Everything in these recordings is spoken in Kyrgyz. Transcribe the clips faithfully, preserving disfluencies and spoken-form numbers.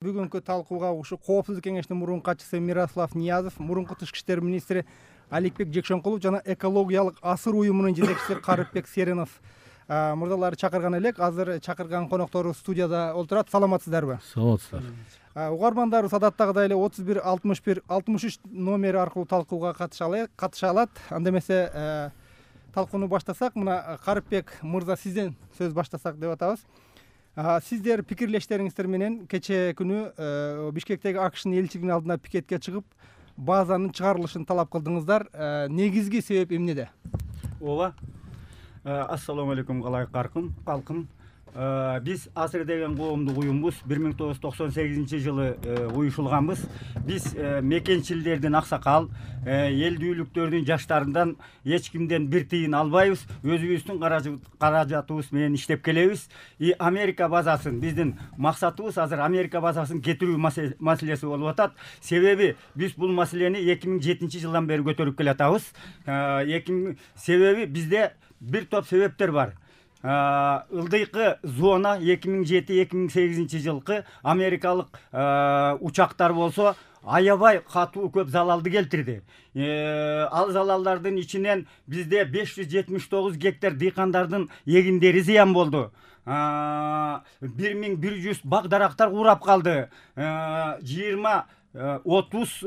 Бүгүнкү талкууга ушу Коопсуздук кеңешинин мурунку катчысы Мирослав Ниязов, мурунку тышкы иштер министри Аликбек Жекшенкулов жана экологиялык асыр уюмунун жетекчиси Карыпбек Серенов мурдалары чакырган элек. Азыр чакырган коноктору студияда отурат. Саламатсыздарбы? Саламатсыздар. Угармандарыбыз адаттагыдай эле отуз бир алтымыш бир алтымыш үч номери аркылуу талкууга катыша алат. Анда эмесе талкууну баштасак, мына Карыпбек мырза, сизден сөз баштасак деп атабыз. Сиздер пикирлештериңиздер менен кечээ күнү Бишкектеги АКШнын элчилигинин алдына пикетке чыгып, базанын чыгарылышын талап кылдыңыздар. Негизги себеп эмнеде? Ооба. Ассаламу алейкум калкым. Биз Асыр деген коомдук уюмбуз. бир миң тогуз жүз токсон сегизинчи жылы уюшулганбыз. Биз мекенчилердин аксакал, элдүүлүктөрдүн жаштарынан эч кимден бир тыйын албайбыз. Өзүбүздүн каражатыбыз менен иштеп келебиз. И Америка базасын, биздин максатыбыз азыр Америка базасын кетирүү маселеси болуп атат. Себеби биз бул маселени эки миң жетинчи жылдан бери көтөрүп келатабыз. Себеби бизде бир топ себептер бар. Ылдыйкы зона эки миң жети эки миң сегизинчи жылкы америкалык учактар болсо аябай катуу көп залалды келтирди. Ал залалдардын ичинен бизде беш жүз жетимиш тогуз гектар дыйкандардын эгиндери зыян болду. бир миң бир жүз бак дарактар курап калды. жыйырма отуз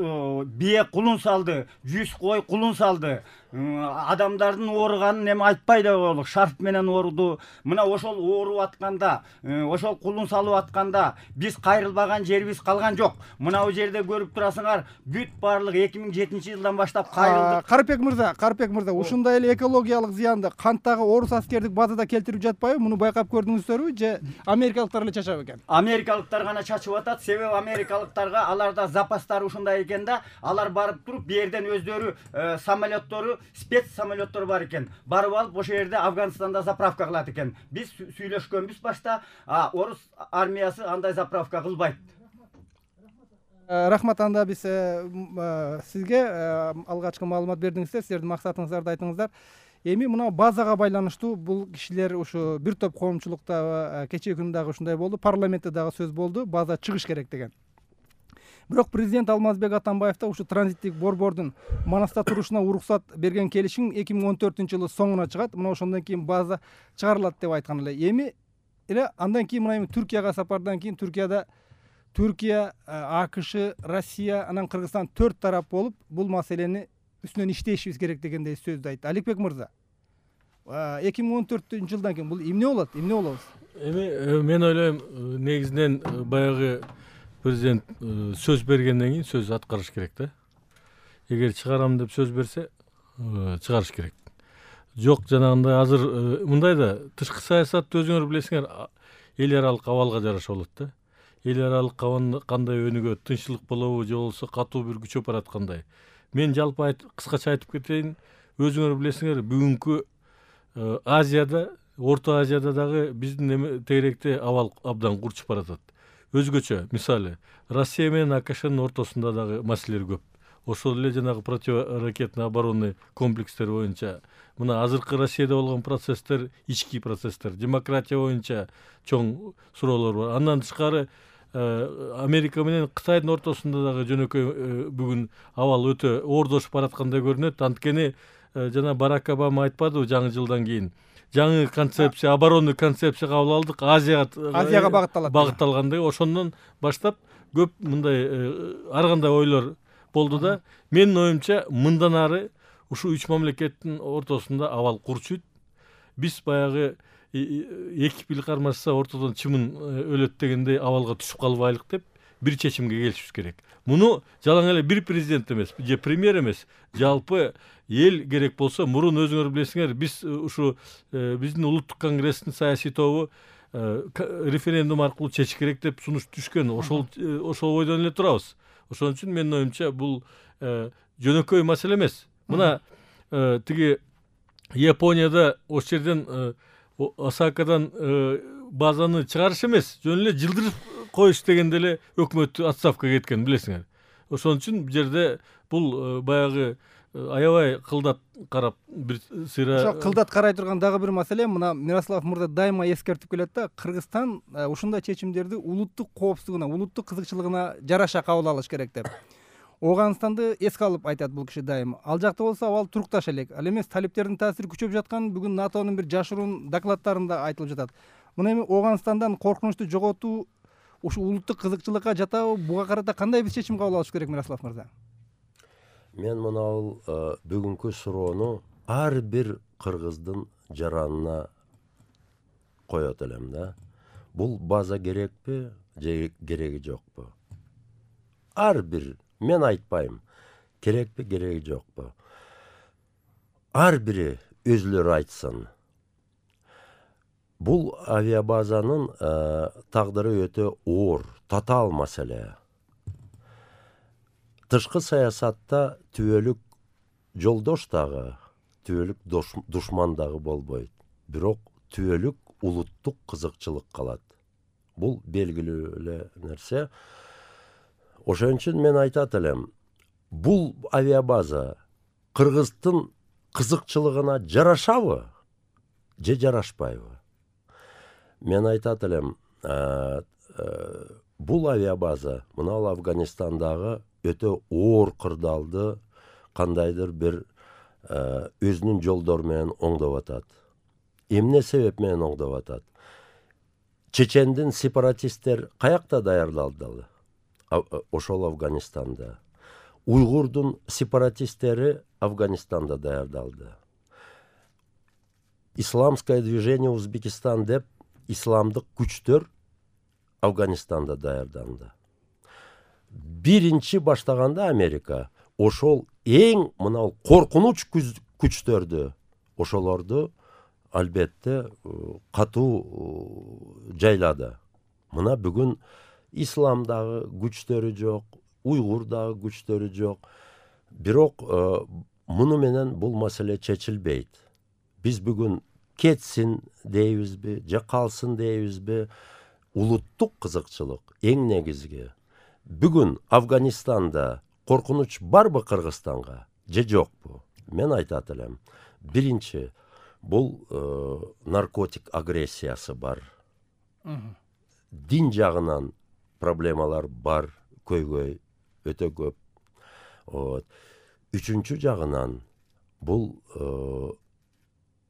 бие кулун салды, жүз кой кулун салды. Адамдардын ооруганын эми айтпай да болдук. Шарф менен ооруду. Мына ошол ооруп атканда, ошол кулун салып атканда биз кайрылбаган жерибиз калган жок. Мына бул жерде көрүп турасыңар, бүт баардык эки миң жетинчи жылдан баштап кайрылдык. Карыпбек мырза, Карыпбек мырза, ушундай эле экологиялык зыянды кантагы орус аскердик базада келтирип жатпайбы? Муну байкап көрдүңүздөрбү же америкалыктар эле чачап экен? Америкалыктар гана чачып атат. Себеби америкалыктарга аларда запастары ушундай экен да, алар барып туруп бу жерден өздөрү самолеттору, спец самолеттор бар экен. Барып алып ошол жерде Афганистанда заправка кылат экен. Биз сүйлөшкөнбүз башта, а орус армиясы андай заправка кылбайт. Рахмат. Анда биз сизге алгачкы маалымат бердиңиздер, сиздердин максатыңыздарды айтыңыздар. Эми мына базага байланыштуу бул кишилер ушу бир топ коомчулукта кечээ күнү дагы ушундай болду, парламентте дагы сөз болду, база чыгыш керек деген. Бирок президент Алмазбек Атамбаев да ушу транзиттик борбордун Манаста турушуна уруксат берген келишим эки миң он төртүнчү жылы соңуна чыгат. Мына ошондон кийин база чыгарылат деп айткан эле. Эми эле андан кийин мына эми Түркияга сапардан кийин Түркияда Түркия, АКШ, Россия, анан Кыргызстан төрт тарап болуп бул маселени үстүнөн иштешибиз керек дегендей сөздү айтты. Аликбек мырза, эки миң он төртүнчү жылдан кийин бул эмне болот? Эмне болобуз? Эми мен ойлойм, негизинен баягы президент сөз бергенден кийин сөз аткарыш керек да. Эгер чыгарам деп сөз берсе, чыгарыш керек. Жок, жанагындай азыр мындай да, тышкы саясатты өзүңөр билесиңер, эл аралык абалга жараша болот да. Эл аралык кандай өнүгөт, тынччылык болобу же болбосо катуу бир күчөп бараткандай. Мен жалпы кыскача айтып кетейин, өзүңөр билесиңер, бүгүнкү Азияда, Орто Азияда дагы биздин тегеректе абал абдан курчуп баратат. Өзгөчө, мисалы, Россия менен АКШнын ортосунда дагы маселелер көп. Ошол эле жанагы противоракетный оборонный комплекстер боюнча, мына азыркы Россияда болгон процесстер ички процесстер, демократия боюнча чоң суроолор бар. Андан тышкары Америка менен Кытайдын ортосунда дагы жөнөкөй бүгүн абал өтө оордошуп бараткандай көрүнөт. Анткени жана Барак Обама айтпадыбы жаңы жылдан кийин жаңы концепция, оборонный концепция кабыл алдык, Азияга Азияга багытталат. Багытталгандай. Ошондон баштап көп мындай ар кандай ойлор болду да. Менин оюмча, мындан ары ушу үч мамлекеттин ортосунда абал курчуйт. Биз баягы эки пил кармашса ортодон чымын өлөт дегендей абалга түшүп калбайлык деп бир чечимге келишибиз керек. Муну жалаң эле бир президент эмес, же премьер эмес, жалпы эл керек болсо, мурун өзүңөр билесиңер, биз ушу биздин улуттук конгресстин саясий тобу референдум аркылуу чечиш керек деп сунуш түшкөн. Ошол ошол бойдон эле турабыз. Ошон үчүн менин оюмча бул жөнөкөй маселе эмес. Мына тиги Японияда ошол жерден Осакадан базаны чыгарыш эмес, жөн эле жылдырып коюш дегенде эле өкмөт отставкага кеткен, билесиңер. Ошон үчүн бул жерде бул баягы аябай кылдат карап бир сыйра. Ошо кылдат карай турган дагы бир маселе, мына Мирослав мырза дайыма эскертип келет да, Кыргызстан ушундай чечимдерди улуттук коопсуздугуна, улуттук кызыкчылыгына жараша кабыл алыш керек деп. Ооганстанды эске алып айтат бул киши дайым. Ал жакта болсо абал турукташ элек. Ал эмес талиптердин таасири күчөп жаткан бүгүн НАТОнун бир жашыруун докладдарында айтылып жатат. Мына эми Ооганстандан коркунучту жоготуу ушу улуттук кызыкчылыкка жатабы? Буга карата кандай бир чечим кабыл алыш керек Мирослав мырза? Мен мынау бүгүнкү суроону ар бир кыргыздын жаранына коет элем да. Бул база керекпи же кереги жокпу? Ар бир, мен айтпайм, керекпи кереги жокпу. Ар бири өзүлөрү айтсын. Бул авиабазанын тагдыры өтө оор, татаал маселе. Тышкы саясатта түбөлүк жолдош дагы, түбөлүк душман дагы болбойт. Бирок түбөлүк улуттук кызыкчылык калат. Бул белгилүү эле нерсе. Ошон үчүн мен айтат элем, бул авиабаза Кыргыздын кызыкчылыгына жарашабы же жарашпайбы? Мен айтат элем, бул авиабаза мына Афганистандагы өтө оор кырдаалды кандайдыр бир өзүнүн жолдору менен оңдоп атат. Эмне себеп менен оңдоп атат? Чечендин сепаратисттер каякта даярдалды? Ошол Афганистанда. Уйгурдун сепаратисттери Афганистанда даярдалды. Исламское движение Узбекистан деп исламдык күчтөр Афганистанда даярданды. Биринчи баштаганда Америка ошол эң мынау коркунуч күчтөрдү, ошолорду албетте катуу жайлады. Мына бүгүн исламдагы күчтөрү жок, уйгурдагы күчтөрү жок. Бирок муну менен бул маселе чечилбейт. Биз бүгүн кетсин дейбизби, же калсын дейбизби? Улуттук кызыкчылык эң негизги. Бүгүн Афганистанда коркунуч барбы Кыргызстанга же жокпу? Мен айтат элем, биринчи бул наркотик агрессиясы бар. Дин жагынан проблемалар бар, көйгөй өтө көп. Үчүнчү жагынан бул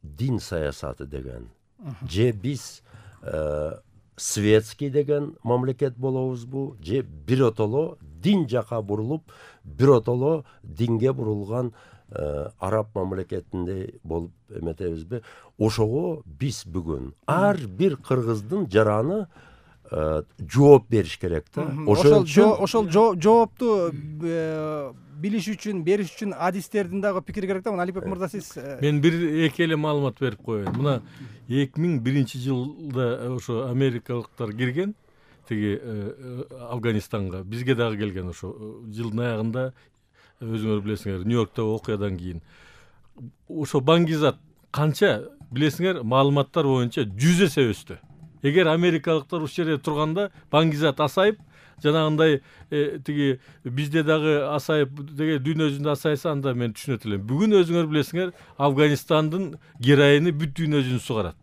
дин саясаты деген. Же биз светский деген мамлекет болобузбу, же биротоло дин жака бурулуп, биротоло динге бурулган араб мамлекетинде болуп эметебизби? Ошого биз бүгүн ар бир кыргыздын жараны жооп бериш керек да. Ошол ошол жоопту билиш үчүн, бериш үчүн адистердин дагы пикири керек да. Мына Алипбек мырза, сиз. Мен бир эки эле маалымат берип коеюн. Мына эки миң биринчи жылда ошо америкалыктар кирген тиги Афганистанга, бизге дагы келген ошо жылдын аягында, өзүңөр билесиңер, Нью-Йорктогу окуядан кийин. Ошо Баңгизат канча билесиңер, маалыматтар боюнча жүз эсе өстү. Эгер америкалыктар ушул жерде турганда Баңгизат асайып, жанагындай тиги бизде дагы асайып, деге дүйнө жүзүндө асайса, анда мен түшүнөт элем. Бүгүн өзүңөр билесиңер, Афганистандын героини бүт дүйнө жүзүн сугарат.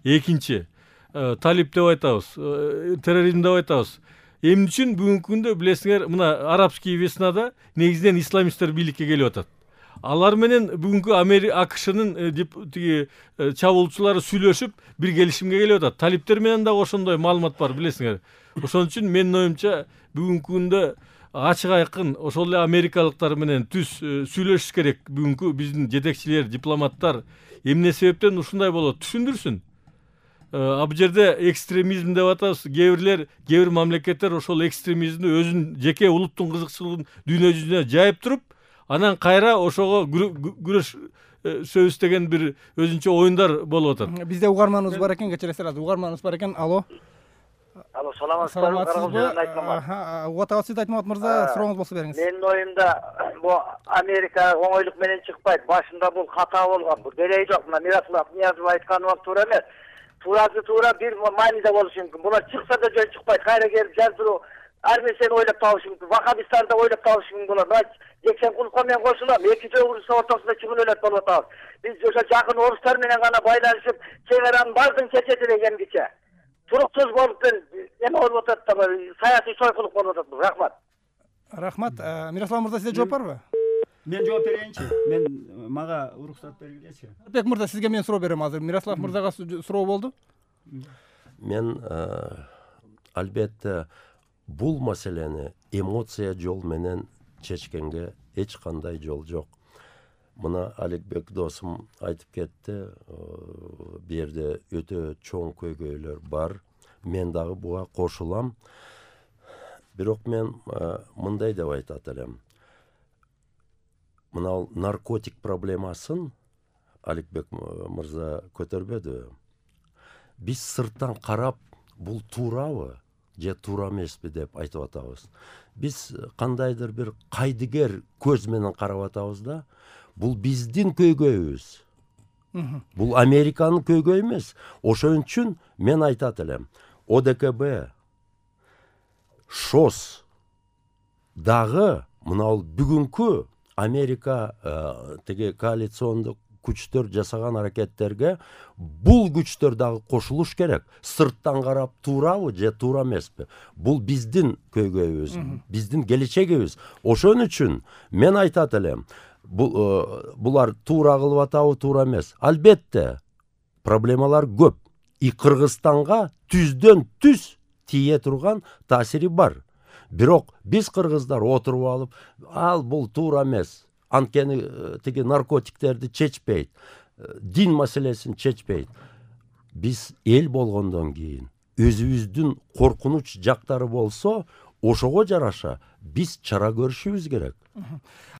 Экинчи, талип деп айтабыз, терроризм деп айтабыз. Эмне үчүн бүгүнкү күндө билесиңер, мына арабский веснада негизинен исламисттер бийликке келип атат. Алар менен бүгүнкү Америка АКШнын тиги чабуулчулары сүйлөшүп бир келишимге келип атат. Талиптер менен дагы ошондой маалымат бар, билесиңер. Ошон үчүн менин оюмча бүгүнкү күндө ачык айкын ошол эле америкалыктар менен түз сүйлөшүш керек. Бүгүнкү биздин жетекчилер, дипломаттар эмне себептен ушундай болот түшүндүрсүн. А бул жерде экстремизм деп атабыз. Кээ бирлер, кээ бир мамлекеттер ошол экстремизмди өзүнүн жеке улуттун кызыкчылыгын дүйнө жүзүнө жайып туруп, анан кайра ошого күрөш сөз деген бир өзүнчө оюндар болуп атат. Бизде угарманыбыз бар экен, кечиресиз, угарманыбыз бар экен. Алло. Алло, саламатсызбы? Аха, угатабыз, сиз Айтмамат мырза, сурооңуз болсо бериңиз. Менин оюмда бул Америка оңойлук менен чыкпайт. Башында бул ката болгон. Бул кереги жок. Мына Мирослав Ниязов айтканы туура эмес. Туурасы туура, бир мааниде болушу мүмкүн. Булар чыкса да жөн чыкпайт. Кайра келип жаздыруу ар нерсени ойлоп табышы мүмкүн. Вахабистарды ойлоп табышы мүмкүн болот. Жексенкуловго мен кошулам. Эки жогурусу ортосунда чүгүнөлөт болуп атабыз. Биз ошо жакын орустар менен гана байланышып, чегаранын баардыгын чечети дегенгиче. Туруксуз болуп эме болуп атат да, саясий сойкулук болуп атат. Рахмат. Рахмат. Мирослав мырза, сизде жооп барбы? Мен жооп берейинчи. Мен мага уруксат бергилечи. Алпек мырза, сизге мен суроо берем азыр. Мирослав мырзага суроо болду. Мен албетте бул маселени эмоция жол менен чечкенге эч кандай жол жок. Мына Аликбек досум айтып кетти, бу жерде өтө чоң көйгөйлөр бар. Мен дагы буга кошулам. Бирок мен мындай деп айтат элем. Мына наркотик проблемасын Аликбек мырза көтөрбөдү. Биз сырттан карап, бул туурабы же туура эмеспи деп айтып атабыз. Биз кандайдыр бир кайдыгер көз менен карап атабыз да, бул биздин көйгөйүбүз. Бул Американын көйгөйү эмес. Ошон үчүн мен айтат элем, О Д К Б, ШОС дагы мына бүгүнкү Америка теге коалициондук күчтөр жасаган аракеттерге бул күчтөр дагы кошулуш керек. Сырттан карап туурабы же туура эмеспи? Бул биздин көйгөйүбүз, биздин келечегибиз. Ошон үчүн мен айтат элем, булар туура кылып атабы, туура эмес. Албетте проблемалар көп. И Кыргызстанга түздөн түз тие турган таасири бар. Бирок биз кыргыздар отуруп алып, ал бул туура эмес. Анткени тиги наркотиктерди чечпейт, дин маселесин чечпейт. Биз эл болгондон кийин өзүбүздүн коркунуч жактары болсо, ошого жараша биз чара көрүшүбүз керек.